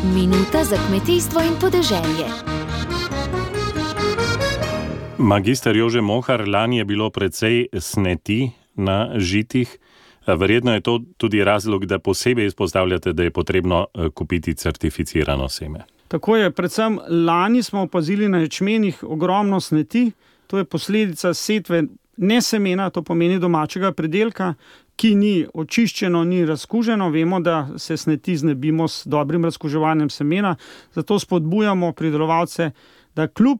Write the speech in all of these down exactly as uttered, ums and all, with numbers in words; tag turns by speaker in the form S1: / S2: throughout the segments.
S1: Minuta za kmetijstvo in podeželje.
S2: Magister Jože Mohar, lani je bilo precej sneti na žitih. Verjetno je to tudi razlog, da posebej izpostavljate, da je potrebno kupiti certificirano seme.
S3: Tako je, predvsem lani smo opazili na ječmenih ogromno sneti. To je posledica setve ne semena, to pomeni domačega pridelka, ki ni očiščeno, ni razkuženo. Vemo, da se sneti znebimo s dobrim razkuževanjem semena, zato spodbujamo pridelovalce, da kljub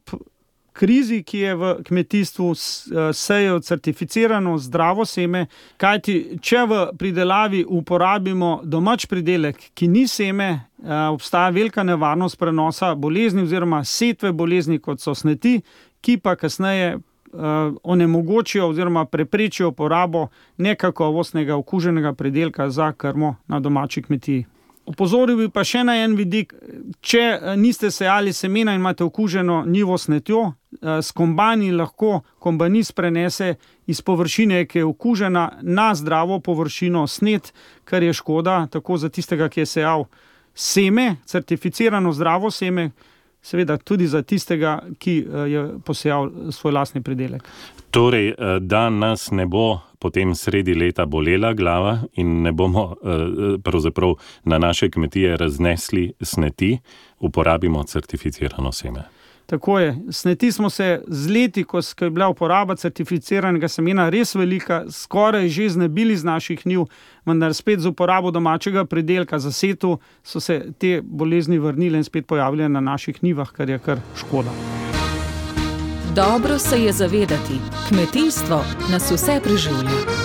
S3: krizi, ki je v kmetijstvu, sejejo certificirano zdravo seme, kajti če v pridelavi uporabimo domač pridelek, ki ni seme, obstaja velika nevarnost prenosa bolezni oziroma setve bolezni, kot so sneti, ki pa kasneje onemogočijo oziroma preprečijo porabo nekakovostnega okuženega pridelka za krmo na domači kmetiji. Opozoril bi pa še na en vidik, če niste sejali semena in imate okuženo njivo s snetjo, s kombajni lahko kombanist prenese iz površine, ki je okužena, na zdravo površino snet, kar je škoda tako za tistega, ki je sejal seme, certificirano zdravo seme, seveda tudi za tistega, ki je posejal svoj lastni pridelek.
S2: Torej, da nas ne bo potem sredi leta bolela glava in ne bomo pravzaprav na naše kmetije raznesli sneti, uporabimo certificirano seme.
S3: Tako je. Sneti smo se z leti, ko je bila uporaba certificiranega semena res velika, skoraj že znebili z naših njiv, vendar spet z uporabo domačega pridelka za setu so se te bolezni vrnile in spet pojavile na naših njivah, kar je kar škoda.
S1: Dobro se je zavedati, kmetijstvo nas vse preživlja.